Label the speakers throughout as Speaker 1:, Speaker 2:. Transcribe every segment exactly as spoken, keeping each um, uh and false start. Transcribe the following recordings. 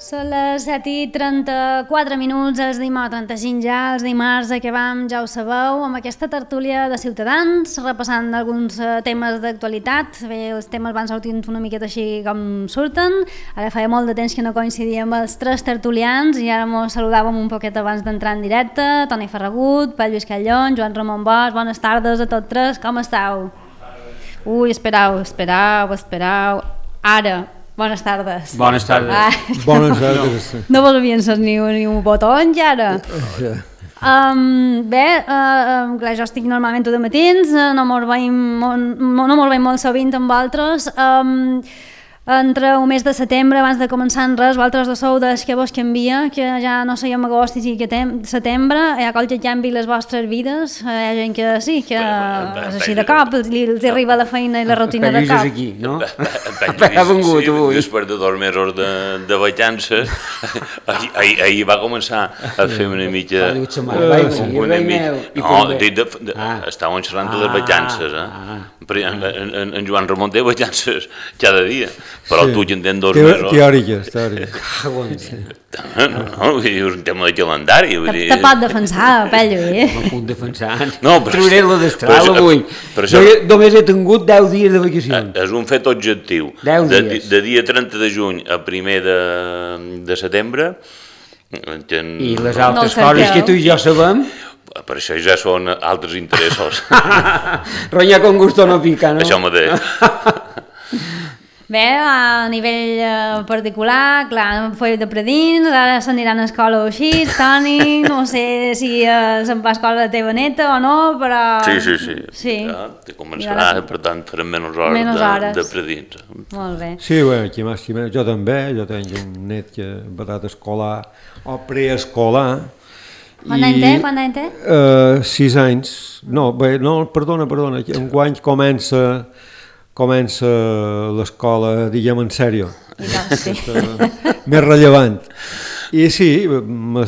Speaker 1: Són les set i trenta-quatre minuts, els dimarts, trenta-cinc ja, els dimarts que vam, ja ho sabeu, amb aquesta tertúlia de Ciutadans, repassant alguns temes d'actualitat. Bé, els temes van sortint una miqueta així com surten. Ara feia molt de temps que no coincidíem els tres tertulians i ara ens saludàvem un poquet abans d'entrar en directe. Toni Ferragut, Pere Lluís Callón, Joan Ramon Bosch, bones tardes a tots tres, com esteu? Ui, esperau, esperau, esperau. Ara. Bones tardes.
Speaker 2: Bones tardes.
Speaker 1: Ah.
Speaker 3: Bones tardes.
Speaker 1: No vos havien set ni, ni un botó encara. Um, bé, uh, clar, jo estic normalment de matins, uh, no mos veiem, no mos veiem molt sovint amb vosaltres. Um, entre un mes de setembre, abans de començar en res, vosaltres de sou des que vos canvia, que ja no sèiem agost i que setembre, hi ha qualque canvi les vostres vides, hi ha gent que sí, que és així de cop, els, els arriba la feina i la rutina de cop.
Speaker 2: Aquí, no?
Speaker 4: Ha vengut avui. Després de dos mesos de, de vacances, ahir, ahir, ahir va començar a fer una mica... Una mica... No, de, de, de, ah. Estàvem xerrant de les vacances, eh? Ah. En, en, en Joan Ramon té vacances cada dia, però sí. Tu ja en tens dos
Speaker 3: Teo,
Speaker 4: mesos.
Speaker 3: Teòriques, teòriques.
Speaker 4: No, no, no, és un tema de calendari.
Speaker 1: Te, te pot defensar, Pello, eh?
Speaker 2: No puc defensar.
Speaker 4: No,
Speaker 2: trobaré la destral avui. Jo només he tingut deu dies de vacacions.
Speaker 4: És un fet objectiu. De, de dia trenta de juny a primer de, de setembre. Ten...
Speaker 2: I les altres no coses que tu i jo sabem...
Speaker 4: Per això ja són altres interessos.
Speaker 2: Ronya con gusto no pica, no?
Speaker 4: Això mateix.
Speaker 1: Bé, a nivell uh, particular, clar, feu de predins, ara s'aniran a escola o així, Toni, no sé si uh, se'n va a escola la teva neta o no, però...
Speaker 4: Sí, sí, sí,
Speaker 1: sí.
Speaker 4: Ja, te començarà, ja, per tant, farem menys hores,
Speaker 1: menys hores.
Speaker 4: De, de predins.
Speaker 1: Molt bé.
Speaker 3: Sí, bé, aquí més, jo també, jo tinc un net que va estar escolar o preescolar.
Speaker 1: Quant any té? Quant any té?
Speaker 3: Uh, sis anys. No, bé, no, perdona, perdona, enguany comença... comença l'escola, diguem, en sèrio.
Speaker 1: Sí.
Speaker 3: Més rellevant. I sí, no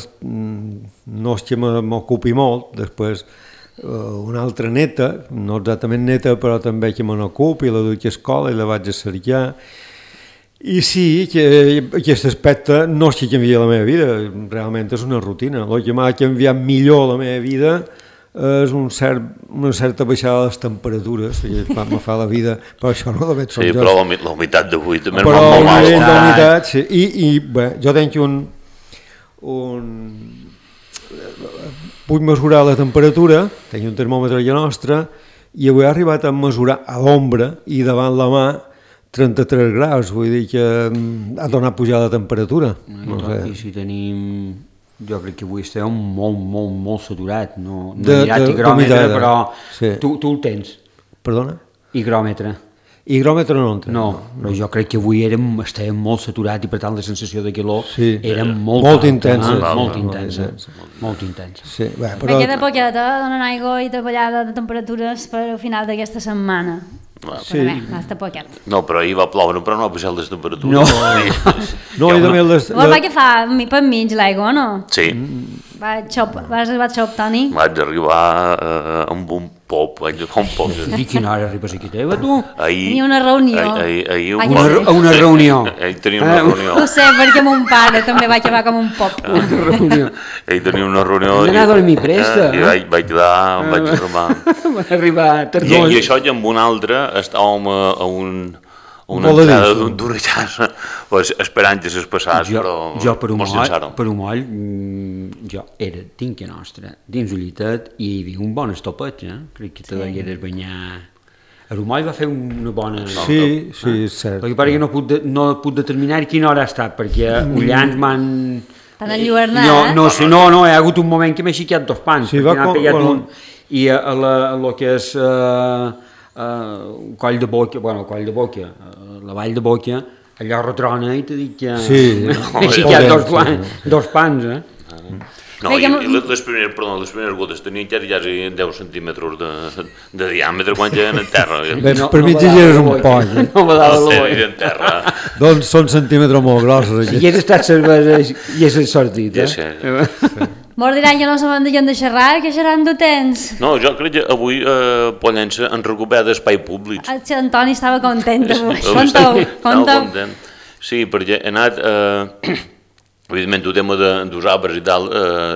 Speaker 3: és que m'ocupi molt, després una altra neta, no exactament neta, però també que me n'ocupi, la duc a escola i la vaig a cercar. I sí, que aquest aspecte no és que canvia la meva vida, realment és una rutina. El que m'ha canviat millor la meva vida és un cert, una certa baixada de les temperatures, que me fa la vida, però això no de fet són
Speaker 4: sí,
Speaker 3: jo.
Speaker 4: Però la humitat d'avui també
Speaker 3: però
Speaker 4: és molt mal.
Speaker 3: Però la humitat, sí. I, i bé, jo tinc un... un... puc mesurar la temperatura, tinc un termòmetre allà nostre, i avui he arribat a mesurar a l'ombra i davant la mà trenta-tres graus, vull dir que ha tornat a pujar la temperatura.
Speaker 2: No, no sé. I si tenim... Jo crec que avui estem molt, molt, molt saturat. No, no
Speaker 3: de,
Speaker 2: he mirat
Speaker 3: de,
Speaker 2: higròmetre, però
Speaker 3: sí.
Speaker 2: tu, tu el tens.
Speaker 3: Perdona?
Speaker 2: Higròmetre.
Speaker 3: Higròmetre no en tens.
Speaker 2: No, però jo crec que avui érem, estàvem molt saturat i per tant la sensació de calor
Speaker 3: sí.
Speaker 2: era molt,
Speaker 3: molt
Speaker 2: alta,
Speaker 3: intensa.
Speaker 2: Eh?
Speaker 3: Molt,
Speaker 2: molt intensa.
Speaker 3: Molt,
Speaker 2: molt intensa.
Speaker 3: Sí, bé, però...
Speaker 1: Me queda poqueta, donen aigua i davallada de temperatures per al final d'aquesta setmana.
Speaker 3: Sí.
Speaker 1: Però bé, està poquet.
Speaker 4: No, però ahir va ploure, però no va pujar les temperatures.
Speaker 2: No,
Speaker 3: no i també les...
Speaker 1: Vol va que fa per mig l'aigua, no?
Speaker 4: Sí.
Speaker 1: Va, xop, vas arribar a xop, Toni?
Speaker 4: Vaig arribar eh, amb un pop, vaig agafar un pop.
Speaker 2: I quina hora arribes aquí teva, tu?
Speaker 4: Ahir...
Speaker 1: Tenia una reunió.
Speaker 4: Ahir, ahir,
Speaker 2: ahir una, una, una reunió.
Speaker 4: Ahir tenia una reunió.
Speaker 1: Ho sé, perquè mon pare també va acabar com un pop.
Speaker 2: Una reunió.
Speaker 4: Ahir tenia una reunió...
Speaker 2: Hem d'anar a dormir presta.
Speaker 4: I vaig, vaig quedar, em vaig arribar...
Speaker 2: Vaig arribar tardós.
Speaker 4: I, I això i amb un altre estàvem a, a un... una entrada d'orellars, pues, esperant que s'es passàs,
Speaker 2: jo,
Speaker 4: però
Speaker 2: jo per un
Speaker 4: mos
Speaker 2: moll,
Speaker 4: llançàrem.
Speaker 2: Per un moll, jo era dintre nostra, dins Ullitet, i hi havia un bon estopet, eh? Crec que te sí. degueres banyar... A Rumoll va fer una bona...
Speaker 3: Sí, sí, és cert.
Speaker 2: El que pare que no puc, de, no puc determinar quina hora ha estat, perquè Ullans m'han...
Speaker 1: T'han enlluernat,
Speaker 2: no,
Speaker 1: eh?
Speaker 2: no, sé, no, no, hi ha hagut un moment que m'he xiquat dos pans,
Speaker 3: sí,
Speaker 2: perquè n'ha pegat
Speaker 3: bueno.
Speaker 2: un... I a, a, la, a lo que és... Uh, Uh, coll de boca, bueno, coll de boca, uh, la vall de boca, allò retrona i t'he dit que...
Speaker 3: Sí,
Speaker 2: no, he xiquat dos, plan, sí. dos pans, eh?
Speaker 4: No, i, i les, primeres, perdó, les primeres gotes tenien ja deu centímetres de, de diàmetre quan eren en terra.
Speaker 3: Bé, no, per mi ja eres un poll.
Speaker 2: No me dava la
Speaker 4: boia. En terra.
Speaker 3: Doncs són centímetres molt grossos.
Speaker 2: Si hagués estat cervesa i hagués sortit, eh?
Speaker 4: Ja sé.
Speaker 1: Sí. Mos diran que no sabem de gent de xerrar, que xerran de temps.
Speaker 4: No, jo crec que avui eh, Pollença han recuperat espai públic.
Speaker 1: Antoni estava content avui. Conta'u, conta'u.
Speaker 4: Sí, perquè he anat... Eh, Evidentment, el tema dels arbres i tal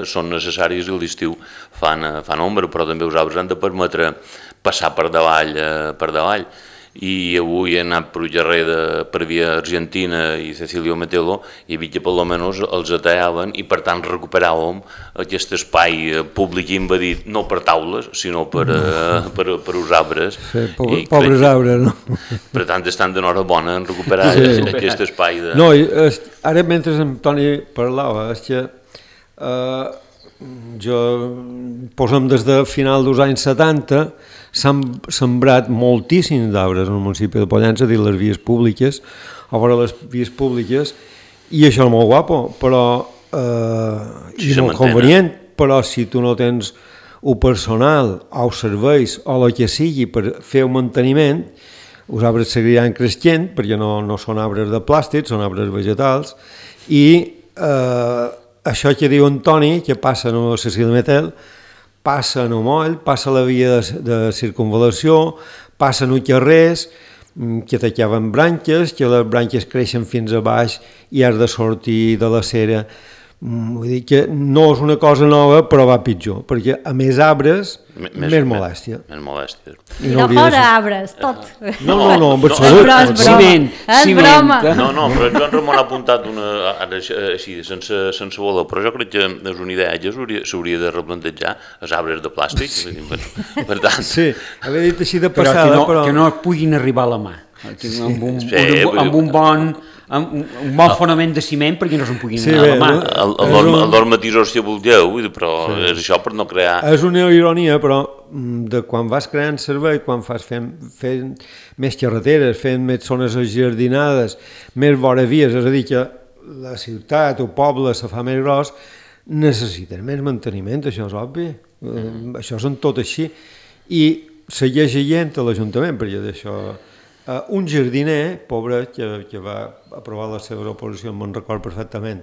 Speaker 4: són necessaris i a l'estiu fan ombra, però també els arbres han de permetre passar per davall, per davall. I avui he anat per Ullarreda, per via Argentina i Cecilio Metelo, i he vist que per almenys els atallaven i per tant recuperàvem aquest espai públic invadit, no per taules, sinó per els arbres.
Speaker 3: Pobres arbres, no?
Speaker 4: Per tant, estan d'enhorabona en recuperar aquest espai.
Speaker 3: No, ara mentre en Toni parlava, és que jo, posem des de final dels anys setanta, s'han sembrat moltíssims d'arbres en el municipi de Pollença, dins les vies públiques, a veure les vies públiques, i això és molt guapo, però i molt convenient, però si tu no tens el personal o els serveis o el que sigui per fer un manteniment, els arbres seguiran creixent, perquè no són arbres de plàstic, són arbres vegetals, i això que diu en Toni, que passa a la Cecília Metel, passa en el moll, passa la via de circunvalació, passa en els carrers, que tallaven branques, que les branques creixen fins a baix i has de sortir de la cera. Vull dir que no és una cosa nova, però va pitjor, perquè a més arbres, més molèstia.
Speaker 4: Més molèstia.
Speaker 1: I no fora arbres, tot.
Speaker 3: No, no, no, en absolut.
Speaker 1: Ciment, ciment.
Speaker 4: No, no, però Joan Ramon ha apuntat una, ara així, sense voler, però jo crec que és una idea que s'hauria de replantejar els arbres de plàstic, per tant...
Speaker 3: Sí, haver dit així de passada, però...
Speaker 2: Que no puguin arribar a la mà, amb un bon... un bon fonament de ciment perquè no se'n puguin anar a la mà.
Speaker 4: El normatisor si vulgueu, però és això per no crear...
Speaker 3: És una ironia, però de quan vas creant servei, quan fas fent més carreteres, fent més zones ajardinades, més vora vies, és a dir, que la ciutat o poble se fa més gros, necessiten més manteniment, això és obvi. Això són tot així. I segueix gent a l'Ajuntament, perquè d'això... Un jardiner, pobre, que va aprovar la seva oposició, me'n record perfectament,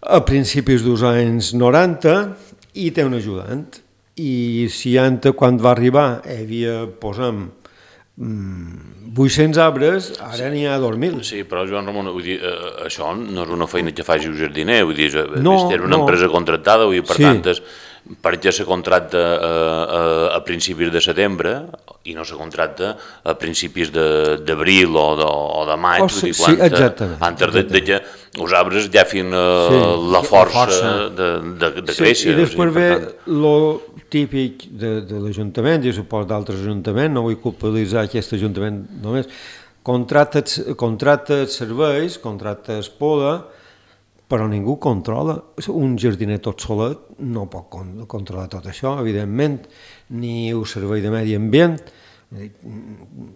Speaker 3: a principis dels anys noranta, i té un ajudant. I si antes, quan va arribar, hi havia, posem, vuit-cents arbres, ara n'hi ha dos mil.
Speaker 4: Sí, però Joan Ramon, vull dir, això no és una feina que faci un jardiner, vull dir, és una empresa contractada, vull dir, per tant, perquè se contracta a principis de setembre i no se contracta a principis d'abril o de maig, antes que els arbres ja fin la força de créixer.
Speaker 3: I després ve el típic de l'Ajuntament, i supos d'altres ajuntaments, no vull culpabilitzar aquest Ajuntament només, contracta serveis, contracta poda, però ningú controla. Un jardiner tot solet no pot controlar tot això, evidentment, ni el servei de medi ambient.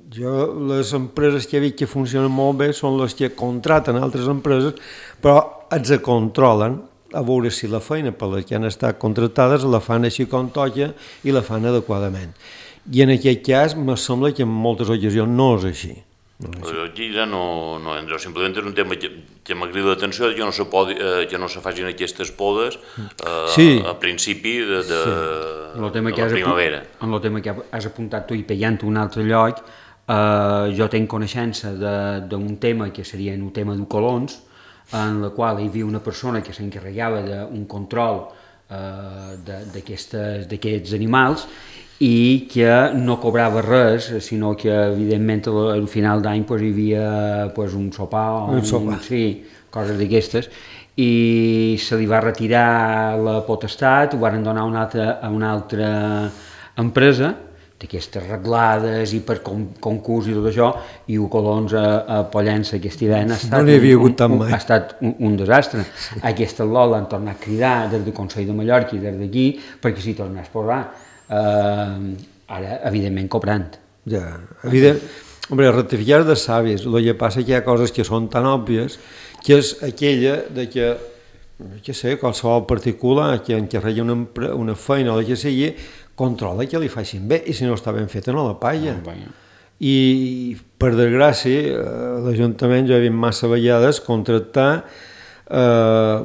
Speaker 3: Jo, les empreses que he vist que funcionen molt bé són les que contraten altres empreses, però els controlen a veure si la feina per les que han estat contractades la fan així com toca i la fan adequadament. I en aquest cas, me sembla que en moltes ocasions no és així.
Speaker 4: Aquí ja no entra, simplement és un tema que m'ha cridat l'atenció, que no se facin aquestes podes a principi de la primavera.
Speaker 2: En el tema que has apuntat tu i pellant un altre lloc, jo tenc coneixença d'un tema que seria el tema de colons, en la qual hi havia una persona que s'encarregava d'un control d'aquests animals i que no cobrava res, sinó que evidentment al final d'any hi havia un sopar o coses d'aquestes, i se li va retirar la potestat, ho van donar a una altra empresa d'aquestes reglades i per concurs i tot això, i el Colons a Pollença aquest hivern ha estat un desastre. Aquesta lot l'han tornat a cridar des del Consell de Mallorca i des d'aquí perquè s'hi tornés a posar. Ara, evidentment, cobrant.
Speaker 3: Ja, evident. Hombre, rectificar de sàvies. El que passa que hi ha coses que són tan òbvies que és aquella de que, que sé, qualsevol particular que encarregui una, una feina o la que sigui, controla que li facin bé i si no està ben feta no la palla. I, per desgràcia, l'Ajuntament ja ha vist massa vegades contractar eh,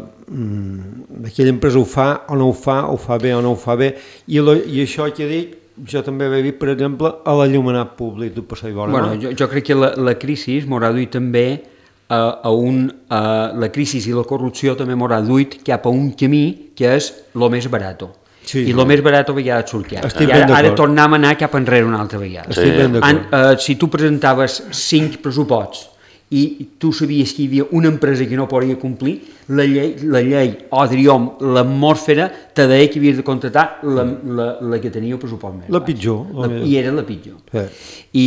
Speaker 3: aquella empresa ho fa o no ho fa, ho fa bé o no ho fa bé, i, lo, i això que dic, jo també he vist, per exemple, a l'allumenat públic del Passeig Vora.
Speaker 2: Bueno, jo, jo crec que la, la crisi m'haurà duit també a, a un, a la crisi i la corrupció també m'haurà duit cap a un camí que és el més barat. Sí, i el sí. més barat a vegades surt cap. I ara, ara tornem a anar cap enrere una altra vegada.
Speaker 3: Estic ben d'acord.
Speaker 2: Uh, si tu presentaves cinc pressuposts i tu sabies que hi havia una empresa que no podia complir, la llei, la llei o diríem l'atmosfera te deia que havies de contractar la, la, la que tenia el pressupost més
Speaker 3: la pitjor.
Speaker 2: La, I era la pitjor.
Speaker 3: Sí.
Speaker 2: I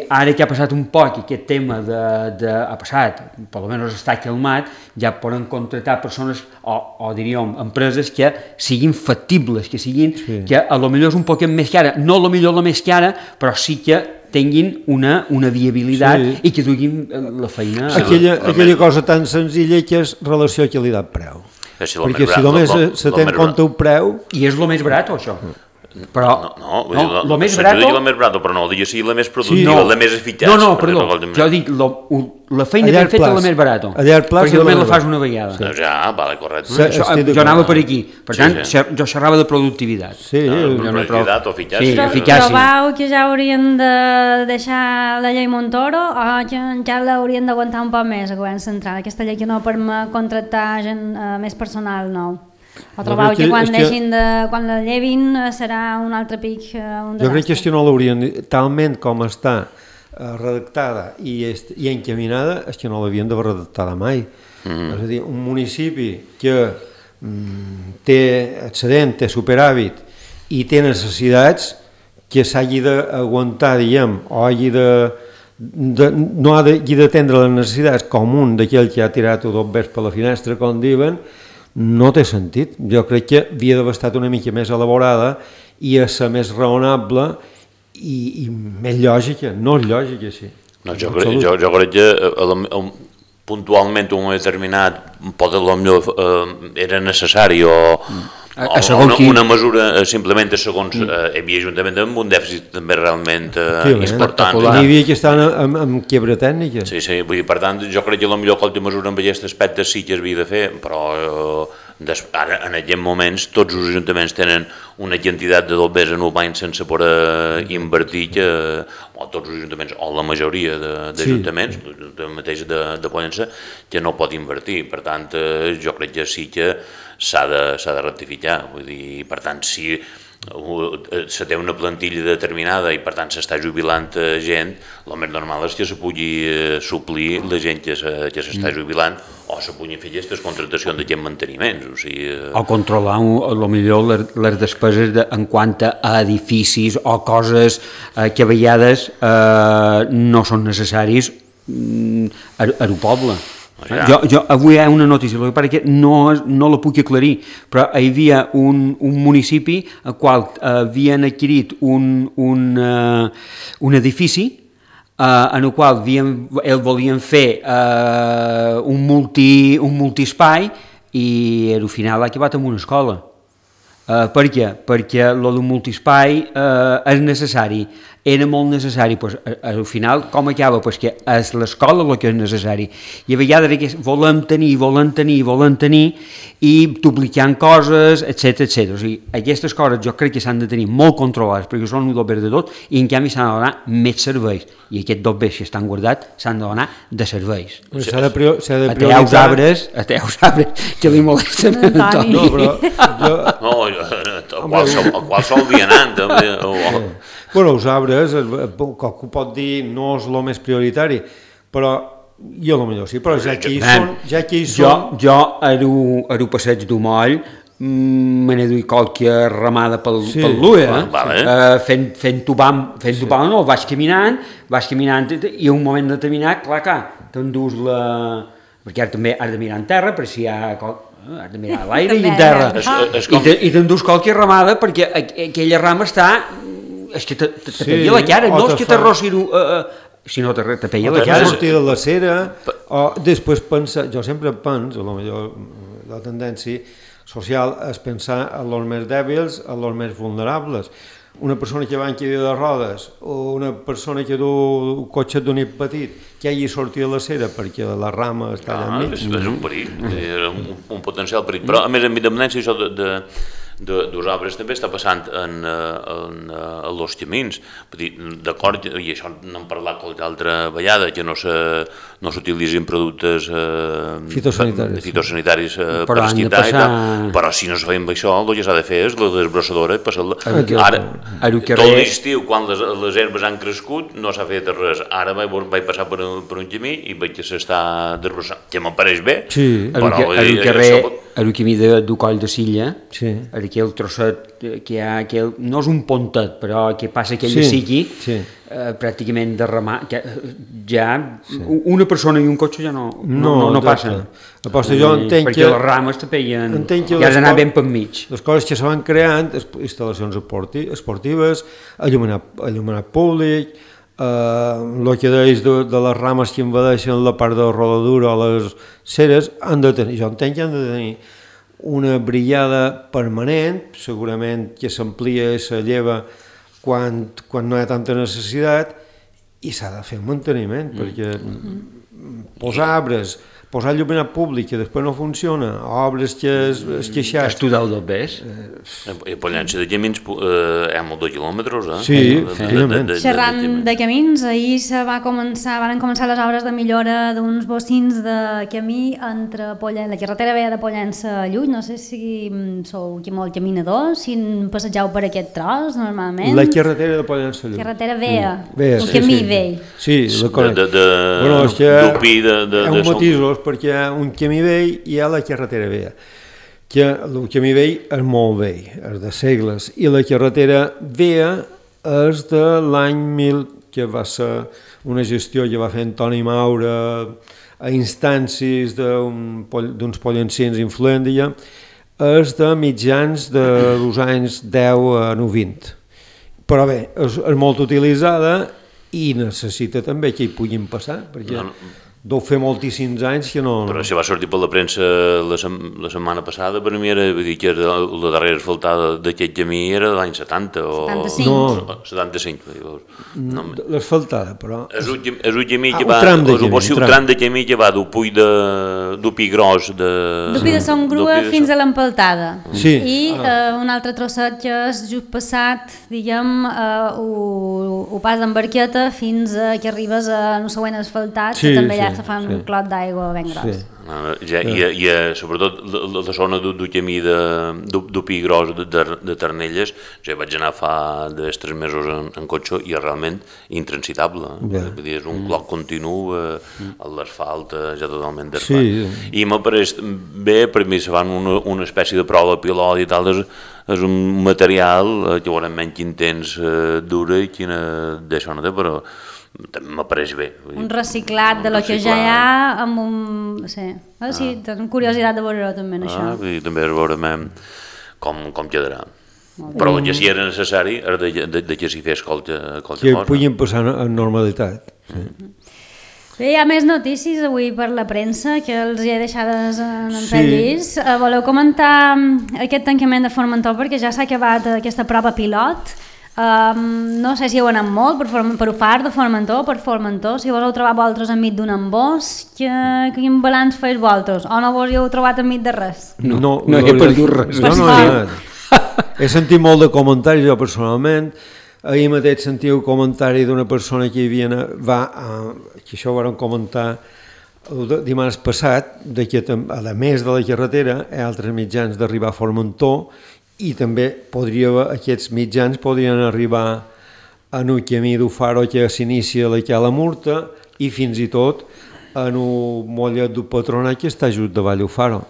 Speaker 2: ara que ha passat un poc aquest tema de, de, ha passat, per almenys està calmat, ja poden contractar persones o, o diríem empreses que siguin factibles, que siguin, sí. que a lo millor és un poquet més cara, no a lo millor la més cara, però sí que tinguin una, una viabilitat sí. i que duguin la feina.
Speaker 3: Aquella, aquella cosa tan senzilla que és relació qualitat-preu.
Speaker 4: Si
Speaker 3: perquè si només se té en compte un preu...
Speaker 2: I és el més barat, o això? Però,
Speaker 4: no, no, no,
Speaker 2: lo més barat...
Speaker 4: Jo dic la més barata, però no, dic sí, la més productiva, sí, no. la més eficaç.
Speaker 2: No, no, perdó, jo dic lo, la feina ben feta és la més barata, perquè només la fas una vegada.
Speaker 4: Sí. Ja, vale, correcte.
Speaker 2: Sí, això, jo anava per aquí, per tant, sí, sí. jo xerrava de productivitat.
Speaker 3: Sí,
Speaker 4: no, productivitat o eficàcia.
Speaker 1: Sí, eficàcia. Trobau que ja haurien de deixar la llei Montoro o que encara l'haurien d'aguantar un poc més a govern central, aquesta llei que no permet contractar gent uh, més personal nou? O trobau que, que quan deixin de, quan la llevin serà un altre pic, un
Speaker 3: desastre? Jo crec que si no l'haurien, talment com està eh, redactada i, est, i encaminada, és que no l'havien d'haver redactada mai. Mm. És a dir, un municipi que mm, té excedent, té superàvit i té necessitats, que s'hagi d'aguantar, diguem, o hagi de, de, no hagi d'atendre les necessitats com un d'aquell que ha tirat dos vers per la finestra, com diuen, no té sentit. Jo crec que havia d'haver estat una mica més elaborada i a ser més raonable i, i més lògica. No és lògica, sí.
Speaker 4: No, jo, crec, jo, jo crec que eh, puntualment un moment determinat pot, potser eh, era necessari o,
Speaker 2: a,
Speaker 4: a o una, una mesura eh, simplement segons eh, hi havia ajuntament amb un dèficit també realment eh, important.
Speaker 3: Hi havia que estar amb, amb quebra tècnica.
Speaker 4: Sí, sí, vull dir, per tant, jo crec que potser qualsevol mesura en aquest aspecte sí que es havia de fer, però eh, des, ara en aquests moments tots els ajuntaments tenen una quantitat de dobbers en un any sense poder invertir que, o tots els ajuntaments, o la majoria d'ajuntaments, sí. de, mateix de, de Pollença, que no pot invertir. Per tant, eh, jo crec que sí que s'ha de, s'ha de rectificar. Vull dir, per tant, si se té una plantilla determinada i per tant s'està jubilant gent, el més normal és que se pugui suplir la gent que s'està jubilant o se puguin fer aquestes contractacions d'aquests manteniments. O, sigui,
Speaker 2: o controlar a lo millor les, les despeses de, en quant a edificis o coses eh, que a vegades eh, no són necessaris mm, a, a el poble. Ja. Jo, jo, avui hi ha una notícia, el que passa que no, no la puc aclarir, però hi havia un, un municipi al qual havien adquirit un, un, uh, un edifici uh, en el qual havien, el volien fer uh, un, multi, un multiespai i al final ha acabat amb una escola. Uh, per què? Perquè el d'un multiespai uh, és necessari, era molt necessari, pues, al final com acaba? Pues que és l'escola el que és necessari i a vegades volem tenir, volem tenir, volem tenir i duplicant coses, etcètera etcètera. O sigui, aquestes coses jo crec que s'han de tenir molt controlades perquè són un dobbers de tot i en canvi s'han de donar més serveis i aquests dobbers que estan guardats s'han de donar de serveis.
Speaker 3: S'ha de, prior, s'ha de
Speaker 2: prioritzar... Ateus arbres, ateus arbres que li molesten a Antoni.
Speaker 3: No, però jo...
Speaker 4: No, a qualsevol, a qualsevol vianant també. Oh.
Speaker 3: Bueno, els arbres, qualcú pot dir no és el més prioritari, però jo potser sí, però ja que hi són... Ja que hi són...
Speaker 2: Jo, jo a el passeig d'Umoll me n'he duit qualque ramada pel, sí. pel L U E, eh? Vale. uh, fent, fent topam, fent sí. topam no, vaig caminant, vaig caminant i en un moment determinat, clar, clar, t'endús la... perquè ara també has de mirar en terra, per si hi ha... has de mirar a l'aire i en terra, es, es com... i t'endús qualque ramada perquè aquella rama està... és que te, te, te sí, peia la cara, no és que t'arrossi uh, uh, si no te, te peia la cara.
Speaker 3: O sortir de la cera, o després pensar, jo sempre penso, a lo millor la tendència social és pensar en els més dèbils, en els més vulnerables. Una persona que va en cadira de rodes o una persona que du un cotxe d'un nit petit que hagi sortit de la cera perquè la rama està allà enmig.
Speaker 4: És, és un perill, és un, un potencial perill. Però a més, amb independència això de, de dues obres també està passant en, en, en els camins. D'acord, i això n'hem parlat qualque altra vegada, que no s'utilitzin productes eh,
Speaker 3: fitosanitaris,
Speaker 4: fitosanitaris eh, per esquitar passar... i tal, però si no es feien això, el que s'ha de fer és la desbrossadora. Ara, tot l'estiu, quan les, les herbes han crescut, no s'ha fet res. Ara vaig, vaig passar per un, per un camí i veig que s'està desbrossant, que m'apareix bé,
Speaker 3: sí.
Speaker 4: però...
Speaker 2: A el carrer, a el camí de, del Coll de Silla,
Speaker 3: sí.
Speaker 2: aquell trosset que hi ha, aquell, no és un pontet, però que passa aquell sí. sigui, sí. eh, pràcticament derramat, que ja sí. una persona i un cotxe ja no, no, no, no, no passen.
Speaker 3: Aposta, jo entenc
Speaker 2: perquè
Speaker 3: que...
Speaker 2: les rames te peien, ja has d'anar ben per mig.
Speaker 3: Les coses que se van creant, instal·lacions esportives, alluminat, alluminat públic, el uh, que deies de, de les rames que invadeixen la part de la rodadura o les ceres, han de tenir, jo entenc que han de tenir una brillada permanent, segurament que s'amplia i se lleva quan, quan no hi ha tanta necessitat, i s'ha de fer un manteniment, mm. perquè mm. posar arbres, posar il·luminat públic que després no funciona, obres que es, es queixat...
Speaker 2: Estudar-ho del pes?
Speaker 4: I a Pollença de camins hi ha molts de quilòmetres, eh?
Speaker 3: Sí, efectivament.
Speaker 1: Xerrant de camins, ahir se va començar, van començar les obres de millora d'uns bocins de camí entre Pollença, la carretera vella de Pollença a Llull, no sé si sou aquí molt caminadors, si passegeu per aquest tros, normalment.
Speaker 3: La carretera de Pollença a Llull.
Speaker 1: Carretera vella,
Speaker 3: mm.
Speaker 1: el sí, camí sí. vell.
Speaker 3: Sí, la conec.
Speaker 4: De, de,
Speaker 3: bueno, és que
Speaker 4: d'Upí, de, de,
Speaker 3: hi ha un matisos, perquè hi ha un camí vell i hi ha la carretera vella. Que el camí vell és molt vell, és de segles, i la carretera vella és de l'any mil, que va ser una gestió que va fer Antoni Maura a instàncies d'uns pollencins influents, és de mitjans dels anys deu a vint. Però bé, és, és molt utilitzada i necessita també que hi puguin passar, perquè... No, no. Deu fer moltíssims anys que no...
Speaker 4: Però si va sortir per la premsa la, sem la setmana passada, per mi era, vull dir que era la darrera asfaltada d'aquest camí era de l'any setanta o...
Speaker 1: setanta-cinc.
Speaker 4: No, setanta-cinc.
Speaker 3: No, l'asfaltada, però...
Speaker 4: És un, és un camí que va... Ah, un tram de camí. Un tram de camí que va d'Upuy de... d'Upi Gros de...
Speaker 1: D'Upi de Son Grua fins a l'Empaltada.
Speaker 3: Sí.
Speaker 1: I ah. eh, un altre trosset que és just passat, diguem, eh, ho pas d'embarqueta fins a que arribes a un següent asfaltat, sí, que també sí. se fa un sí. clot d'aigua ben gros. Sí.
Speaker 4: No, ja, i, i sobretot la, la zona del camí d'Upi Gros de, de, de Ternelles, ja vaig anar fa tres mesos en, en cotxe i és realment intransitable. Yeah. Vull dir, és un clot continu, eh, l'asfalt ja totalment desfat. Sí. I m'apareix bé, per mi se fan una, una espècie de prova pilot i tal, és, és un material que veurem menys intens, eh, dura i quina d'això no té, però també m'apareix bé.
Speaker 1: Un reciclat de lo que ja hi ha amb un... No sé, ah, sí, ah. Tenim curiositat de veure-ho també en això.
Speaker 4: Ah, i també veurem com, com quedarà. Però el que sí era necessari era de, de, de que s'hi fes qualque, qualque
Speaker 3: que
Speaker 4: cosa.
Speaker 3: Que puguin passar en normalitat. Sí.
Speaker 1: Bé, hi ha més notícies avui per la premsa que els hi he deixades en el sí. llis. Voleu comentar aquest tancament de Formentor perquè ja s'ha acabat aquesta prova pilot. Um, no sé si heu anat molt per, per Ufar de Formentor, per Formentor, si vos heu trobat vosaltres enmig d'un embòs, que, quin balanç feis vosaltres? O no vos hi heu trobat enmig de res?
Speaker 2: No, no, no he perdut res.
Speaker 3: No, no, no. He sentit molt de comentaris jo personalment. Ahir mateix sentiu comentari d'una persona que hi havia, va, uh, que això ho vam comentar el dimarts passat, de que a més de la carretera hi ha altres mitjans d'arribar a Formentor i també podria, aquests mitjans podrien arribar en un camí d'Ufaro que s'inicia a la Murta i fins i tot en un mollet d'un patronat que està just davall d'Ufaro.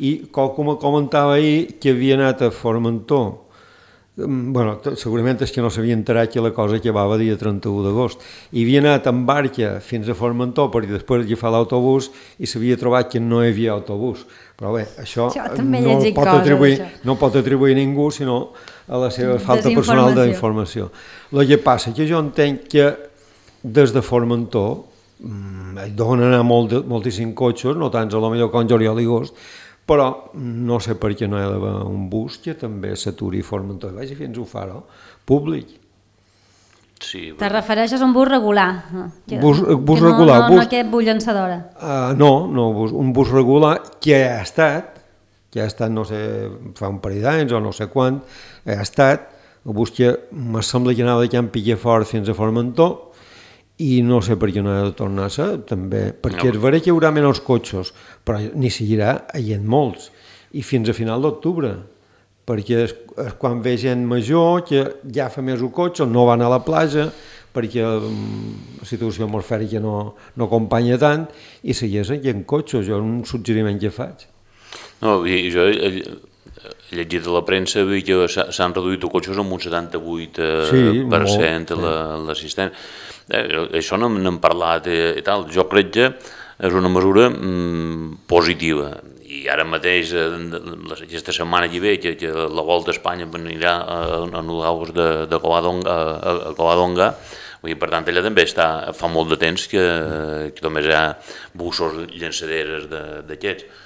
Speaker 3: I qualcú me comentava ahir que havia anat a Formentor. Bueno, segurament és que no s'havia enterat que la cosa acabava dia trenta-u d'agost. I havia anat amb barca fins a Formentor perquè després agafar l'autobús i s'havia trobat que no hi havia autobús. Però bé, això, això no, pot atribuir, no pot atribuir ningú sinó a la seva falta personal d'informació. El que passa que jo entenc que des de Formentor hi deuen anar molt, moltíssims cotxes, no tants a lo millor com juliol i agost, però no sé per què no hi ha d'haver un bus que també s'aturi a Formentor i vagi fins a Ufaro, públic.
Speaker 4: Sí,
Speaker 1: te refereixes a un bus regular? Que,
Speaker 3: bus, bus
Speaker 1: que
Speaker 3: regular.
Speaker 1: No, no,
Speaker 3: bus,
Speaker 1: no aquest bus llançadora.
Speaker 3: Uh, no, no, bus, un bus regular que ha estat, que ha estat, no sé, fa un parell d'anys o no sé quant, ha estat, a buscar, me sembla que anava de Can Pillafort fins a Formentor, i no sé per què no ha de tornar a ser, també, perquè no. És vera que hi haurà menys cotxes, però n'hi seguirà havent molts, i fins a final d'octubre, perquè és, és quan ve gent major que ja fa més un cotxe, no van a la platja, perquè la situació atmosfèrica no, no acompanya tant, i segueix havent cotxes, jo és un suggeriment que faig.
Speaker 4: No, jo he llegit a la premsa que s'han reduït els cotxes amb un setanta-vuit per cent l'assistència. Això n'hem parlat i tal. Jo crec que és una mesura positiva. I ara mateix, aquesta setmana que ve, que la Volta a Espanya anirà a l'agost de Covadonga, per tant, allà també fa molt de temps que només hi ha bussos llançaderes d'aquests.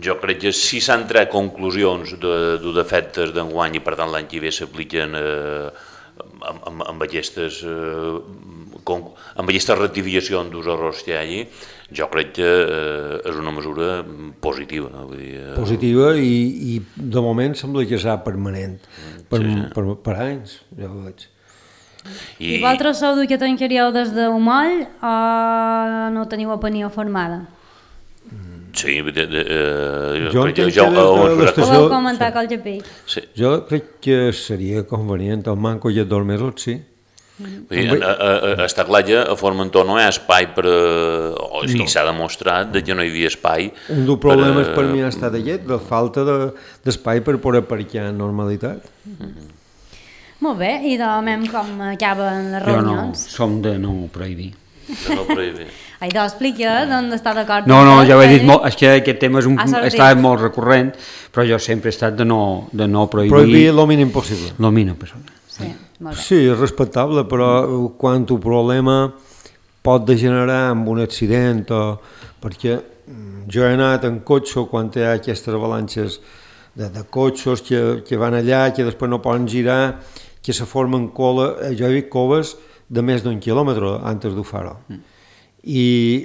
Speaker 4: Jo crec que si s'han tret conclusions dels efectes d'enguany i per tant l'any que ve s'apliquen amb aquestes rectificacions dels errors que hi hagi, jo crec que és una mesura positiva.
Speaker 3: Positiva i de moment sembla que serà permanent, per anys, ja ho veig.
Speaker 1: I vosaltres sou que tancaríeu des d'Umoll o no teniu opinió formada?
Speaker 4: Sí,
Speaker 3: jo entenc que des de l'estació...
Speaker 1: Ho vau comentar col Japí.
Speaker 3: Jo crec que seria convenient, el manco i el dormidor, sí.
Speaker 4: Està clar que a Formentor no hi ha espai per... o sigui, s'ha demostrat que no hi havia espai.
Speaker 3: Un dels problemes per mi ha estat aquest, la falta d'espai per poder aparcar en normalitat.
Speaker 1: Molt bé, i de moment com acaben les reunions?
Speaker 2: Jo no, som de no prohibir.
Speaker 4: De no prohibir.
Speaker 1: Ai, doncs explica d'on està d'acord.
Speaker 2: No, no, ja ho he dit molt, és que aquest tema està molt recurrent, però jo sempre he estat de no prohibir...
Speaker 3: Prohibir el mínim possible.
Speaker 2: El mínim possible.
Speaker 1: Sí, molt bé.
Speaker 3: Sí, és respectable, però quan el problema pot degenerar en un accident o... perquè jo he anat en cotxe quan hi ha aquestes avalanxes de cotxes que van allà, que després no poden girar, que se formen cola, jo he vist coves de més d'un quilòmetre antes de Faro. I,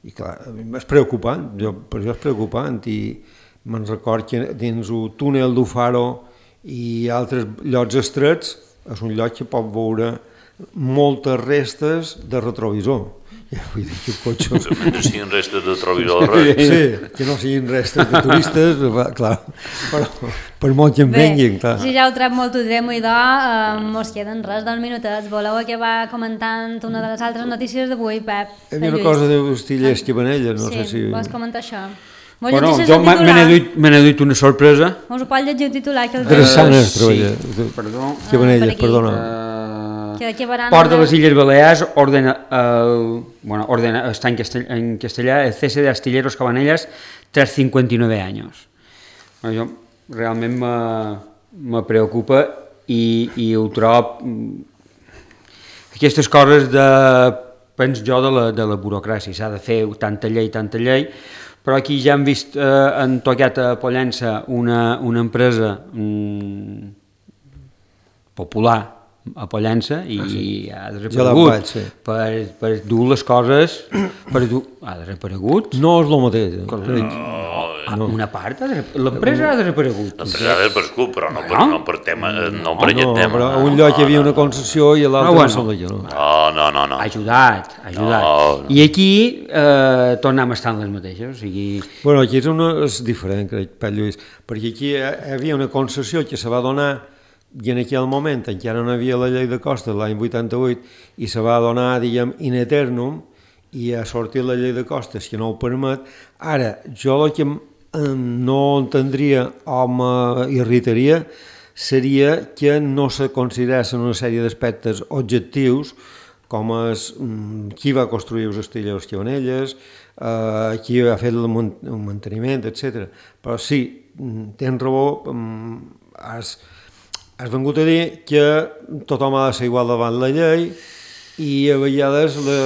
Speaker 3: i clar, és preocupant, jo, per això és preocupant, i me'n record que dins el túnel de Faro i altres llocs estrets és un lloc que pot veure moltes restes de retrovisor. Vull dir que cotxes...
Speaker 4: Que no siguin restes de retrovisor.
Speaker 3: Sí, que no siguin restes de turistes, clar, però per molt que en venguin, clar.
Speaker 1: Si ja heu tret molt de temps, idò, mos queden res, dos minutets. Voleu acabar comentant una de les altres notícies d'avui, Pep?
Speaker 3: Hi havia una cosa de Hostiliers Cabanelles, no sé si...
Speaker 1: Sí, vols comentar això?
Speaker 2: Bueno, jo me n'he duit una sorpresa.
Speaker 1: Us ho pot llegir el titular?
Speaker 3: Drassanes treballa.
Speaker 2: Perdó.
Speaker 3: Cabanelles, perdona.
Speaker 2: Port de les Illes Balears ordena, el, bueno, ordena està en, castell, en castellà el cese de Astilleros Cabanelles tras cincuenta y nueve años. Bueno, jo realment me, me preocupa i, i ho trobo aquestes coses de, penso jo, de la, de la burocràcia. S'ha de fer tanta llei, tanta llei, però aquí ja hem vist, eh, han tocat a Pollença una, una empresa mm, popular a Pollença i ah, sí. ha desaparegut vaig, sí. per, per dur les coses per dur, ha desaparegut
Speaker 3: no és el mateix
Speaker 2: no, no. una part l'empresa ha desaparegut
Speaker 4: l'empresa ha desaparegut però no per, no per, tema, no per no, aquest
Speaker 3: no,
Speaker 4: tema
Speaker 3: però a un lloc hi havia una concessió i a l'altre
Speaker 2: no,
Speaker 3: bueno.
Speaker 4: no, no, no, no
Speaker 2: ha ajudat, ha ajudat no, no. I aquí eh, tornem a estar en les mateixes o sigui...
Speaker 3: bueno, aquí és, una, és diferent crec, Pep Lluís, perquè aquí hi havia una concessió que se va donar i en aquell moment encara no hi havia la llei de costes l'any vuitanta-vuit i se va donar, diguem, in eternum i ha sortit la llei de costes que no ho permet. Ara, jo el que no entendria o m'irritaria seria que no se consideressin una sèrie d'aspectes objectius com és qui va construir els Astilleros Cabanelles, eh, qui va fer el manteniment, etcètera. Però sí, tens raó, has... Has vengut a dir que tothom ha de ser igual davant la llei i a vegades la,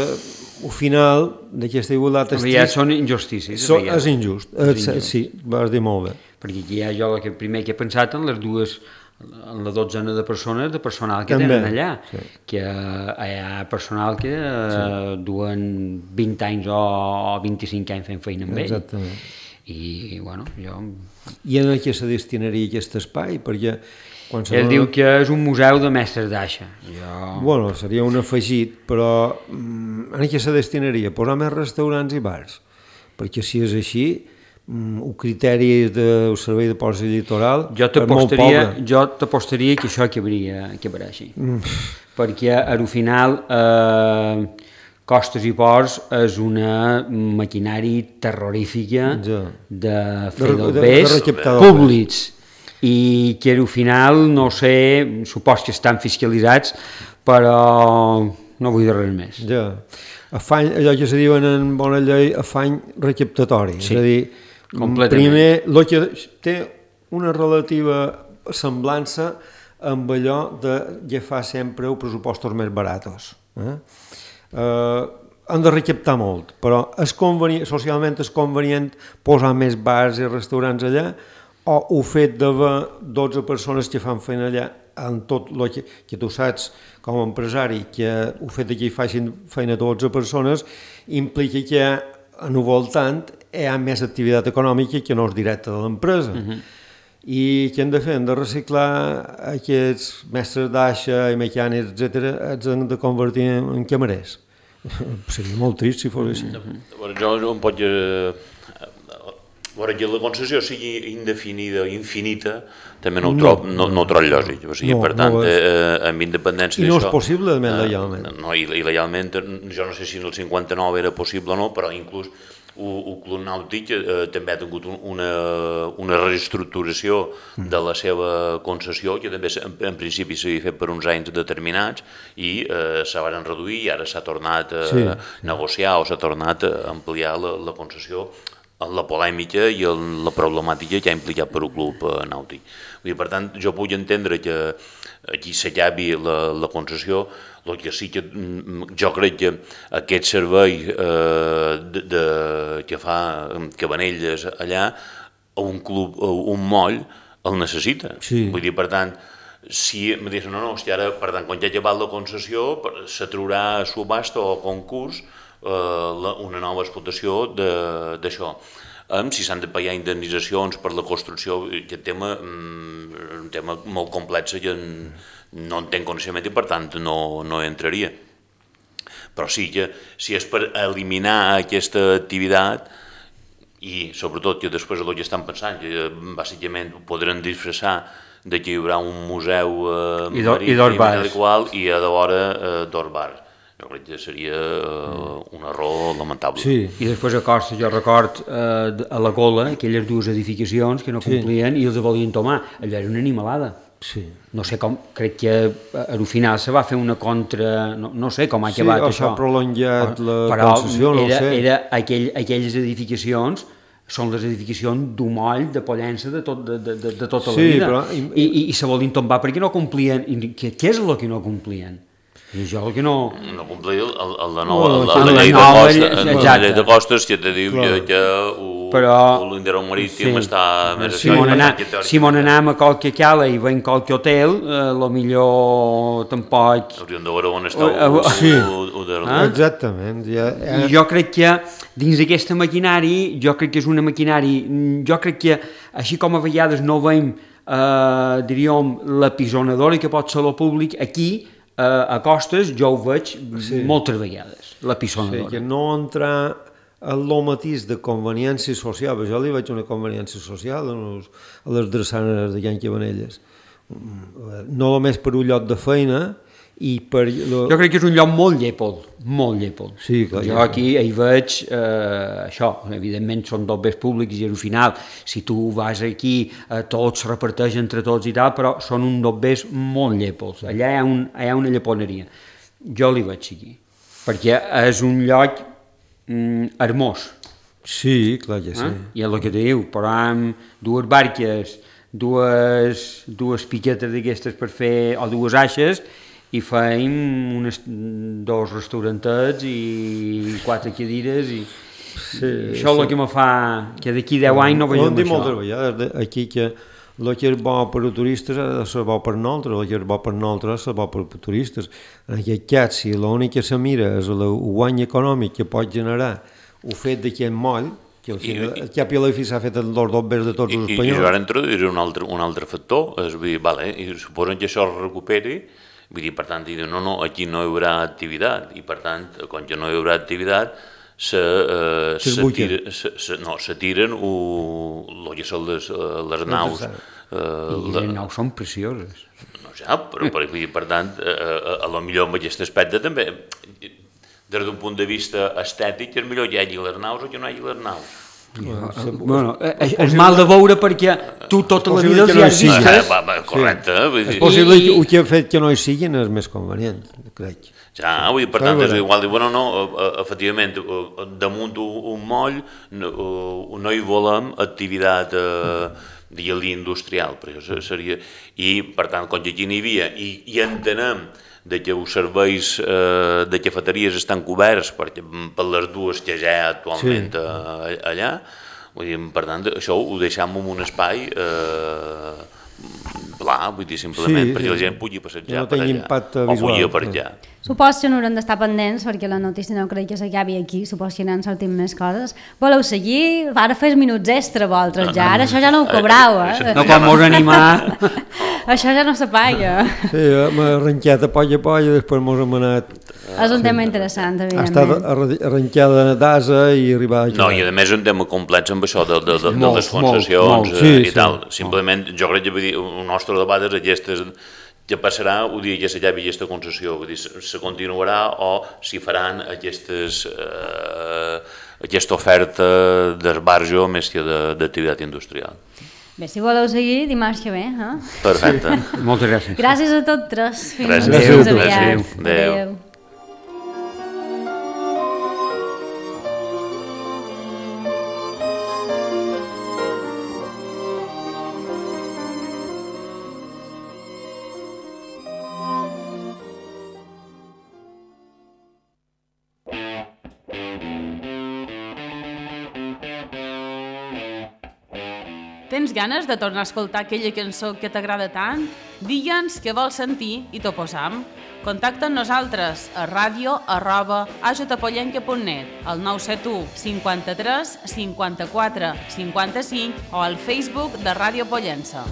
Speaker 3: el final d'aquesta igualtat...
Speaker 2: A vegades són injustícies.
Speaker 3: So, és injust, és injust. Sí, vas dir molt bé.
Speaker 2: Perquè aquí hi ha jo el primer que he pensat en les dues, en la dotzena de persones de personal que
Speaker 3: també
Speaker 2: tenen allà,
Speaker 3: sí.
Speaker 2: Que hi ha personal que sí. duen vint anys o vint-i-cinc anys fent feina amb ell.
Speaker 3: Exactament.
Speaker 2: I, bueno, jo...
Speaker 3: I en què se destinaria aquest espai? Perquè
Speaker 2: Ell diu que és un museu de mestres d'aixa. Jo...
Speaker 3: Bueno, seria un afegit, però en què se destinaria? Posar més restaurants i bars. Perquè si és així, el criteri del servei de ports i litoral
Speaker 2: jo és molt pobre. Jo t'apostaria que això acabaria, acabarà així. Mm. Perquè al final eh, Costes i Ports és una maquinari terrorífica ja. de fer dobbers públics. I que al final, no sé, supos que estan fiscalitzats, però no vull dir res més.
Speaker 3: Ja. Afany, allò que se diuen en bona llei, afany recaptatori.
Speaker 2: Sí,
Speaker 3: és a dir, primer, el que té una relativa semblança amb allò de agafar sempre els pressupostos més baratos. Eh? Eh, han de recaptar molt, però és convenient, socialment és convenient posar més bars i restaurants allà, o el fet d'haver dotze persones que fan feina allà en tot el que, que tu saps com a empresari, que el fet que hi facin feina dotze persones implica que en el voltant hi ha més activitat econòmica que no és directa de l'empresa. Uh-huh. I què hem de fer? Hem de reciclar aquests mestres d'aixa i mecànics, etcètera, els hem de convertir en camarers. Seria molt trist si fos així.
Speaker 4: Uh-huh. Jo no em pot... Veure, que la concessió sigui indefinida o infinita, també no ho trob, no, no ho trob lògic. O sigui, no, per tant, no eh, amb independència d'això...
Speaker 3: I no és possible, eh, legalment.
Speaker 4: No, i, i legalment, jo no sé si en el cinquanta-nou era possible o no, però inclús el Club Nàutic eh, també ha tingut una, una reestructuració de la seva concessió, que també en, en principi s'havia fet per uns anys determinats, i eh, se van reduir i ara s'ha tornat a sí, negociar o s'ha tornat a ampliar la, la concessió, la polèmica i la problemàtica que ha implicat per al club nàutic. Per tant, jo puc entendre que aquí s'acabi la, la concessió, el que sí que jo crec que aquest servei eh, de, de, que fa Cabanelles allà, un club, un moll, el necessita. Sí. Vull dir, per tant, si em diuen, no, no, hosti, ara, per tant, quan ja ha acabat la concessió, s'atraurà a subhasta o a concurs una nova explotació d'això. Si s'han de pagar indemnitzacions per la construcció, aquest tema és un tema molt complex que no en tenc coneixement i per tant no, no entraria. Però sí que si és per eliminar aquesta activitat i sobretot que després el que estan pensant, que bàsicament podran disfressar de que hi haurà un museu marítim i a l'hora dos bars. Jo crec que seria uh, un error lamentable.
Speaker 2: Sí. I després a Costa, jo record uh, a la Gola, aquelles dues edificacions que no complien sí. i els volien tomar. Allò era una animalada.
Speaker 3: Sí.
Speaker 2: No sé com, crec que al final se va fer una contra... No, no sé com ha
Speaker 3: sí,
Speaker 2: acabat això.
Speaker 3: Sí, s'ha prolongat la
Speaker 2: però
Speaker 3: concessió, no
Speaker 2: era,
Speaker 3: ho sé.
Speaker 2: Era aquell, aquelles edificacions són les edificacions d'un moll de Pollença de, tot, de, de, de tota
Speaker 3: sí,
Speaker 2: la vida.
Speaker 3: Però...
Speaker 2: I, i, I se volien tombar perquè no complien. I què, què és el que no complien? I jo el que no...
Speaker 4: No complir el, el de nou, el, el, la llei de costes, la llei de costes que te diu que, que l'Indero Marítim està més
Speaker 2: si a si mon anem a qualque cala i veiem qualque hotel, lo millor tampoc...
Speaker 4: Hauríem de veure on està ho
Speaker 3: de... Exactament.
Speaker 2: I jo crec que dins d'aquesta maquinari, jo crec que és una maquinari, jo crec que així com a vegades no veiem, diríem, la pisonadora que pot ser el públic, aquí Uh, a Costes jo ho veig sí. moltes vegades, la pisonadora.
Speaker 3: Sí, que no entrar en el matís de conveniència social, jo li veig una conveniència social a les drassanes de Can Cabanelles. No només per un lloc de feina, i per... Lo...
Speaker 2: Jo crec que és un lloc molt llèpol, molt llèpol.
Speaker 3: Sí, clar,
Speaker 2: jo aquí hi veig eh, això, evidentment són dobbers públics i al final, si tu vas aquí, eh, tots es reparteix entre tots i tal, però són un dobbers molt llèpols. Allà hi ha, un, hi ha una lleponeria. Jo li veig aquí, perquè és un lloc mm, hermós.
Speaker 3: Sí, clar que sí. Eh?
Speaker 2: I és el que te diu, però amb dues barques, dues, dues piquetes d'aquestes per fer, o dues aixes, i feim unes, dos restaurantets i quatre cadires i, sí, i això és el que me fa que d'aquí deu anys no veiem això.
Speaker 3: Moltes vegades aquí que el que és bo per a turistes ha de ser bo per nosaltres, el que és bo per nosaltres ha de ser bo per a turistes. En aquest cas, si l'únic que se mira és el guany econòmic que pot generar el fet d'aquest moll, que al final, el cap i a la fi s'ha fet els dos dobbers de tots els espanyols.
Speaker 4: I jo ara introduiré un altre, un altre factor, és dir, vale, i suposen que això es recuperi, vull dir, per tant, dir, no, no, aquí no hi haurà activitat, i per tant, quan ja no hi haurà activitat, se, eh, se, tira, se, se, no, se tiren el que són les, les naus.
Speaker 2: Eh, I les naus són precioses.
Speaker 4: No ja, però per, per tant, a, a lo millor en aquest aspecte també, des d'un punt de vista estètic, és millor que hi hagi les naus o que no hi hagi les naus.
Speaker 2: Bueno, és mal de veure perquè tu tota la vida els hi has vist.
Speaker 4: Correcte.
Speaker 3: És possible que el que ha fet que no hi siguin és més convenient, crec.
Speaker 4: Ja, vull dir, per tant, és igual, bueno, no, efectivament, damunt un moll no hi volem activitat digue-li industrial, però això seria... I, per tant, com que aquí n'hi havia, i entenem de que els serveis de cafeteries estan coberts per les dues que ja hi ha actualment allà, vull dir, per tant, això ho deixem en un espai pla, vull dir, simplement perquè la gent pugui passejar per allà, o pugui aparcar.
Speaker 1: Supos que no haurem d'estar pendents perquè la notícia no crec que s'acabi aquí, supos que n'han sortit més coses. Voleu seguir? Ara fes minuts extra vosaltres ja, ara això ja no ho cobrau, eh?
Speaker 2: No com mos animar.
Speaker 1: Això ja no s'apaga.
Speaker 3: Sí, hem arrencat a poll a poll i després mos hem anat...
Speaker 1: És un tema interessant, evidentment.
Speaker 3: Ha estat arrencada d'asa i arribar aquí.
Speaker 4: No, i a més un tema complex amb això de les concessions i tal. Simplement, jo crec que el nostre debat és aquestes... que passarà el dia que s'acabi aquesta concessió, vull dir, se continuarà o s'hi faran aquestes, eh, aquesta oferta d'esbarjo més que d'activitat industrial.
Speaker 1: Bé, si voleu seguir, dimarts que ve, eh?
Speaker 4: Perfecte.
Speaker 2: Moltes gràcies.
Speaker 1: Gràcies a tots tres.
Speaker 4: Fins
Speaker 1: aviat.
Speaker 4: Adéu.
Speaker 5: Tens ganes de tornar a escoltar aquella cançó que t'agrada tant? Digue'ns què vols sentir i t'ho posam. Contacta amb nosaltres a ràdio arroba a j pollenca punt net, al nou set u cinquanta-tres cinquanta-quatre cinquanta-cinc o al Facebook de Ràdio Pollença.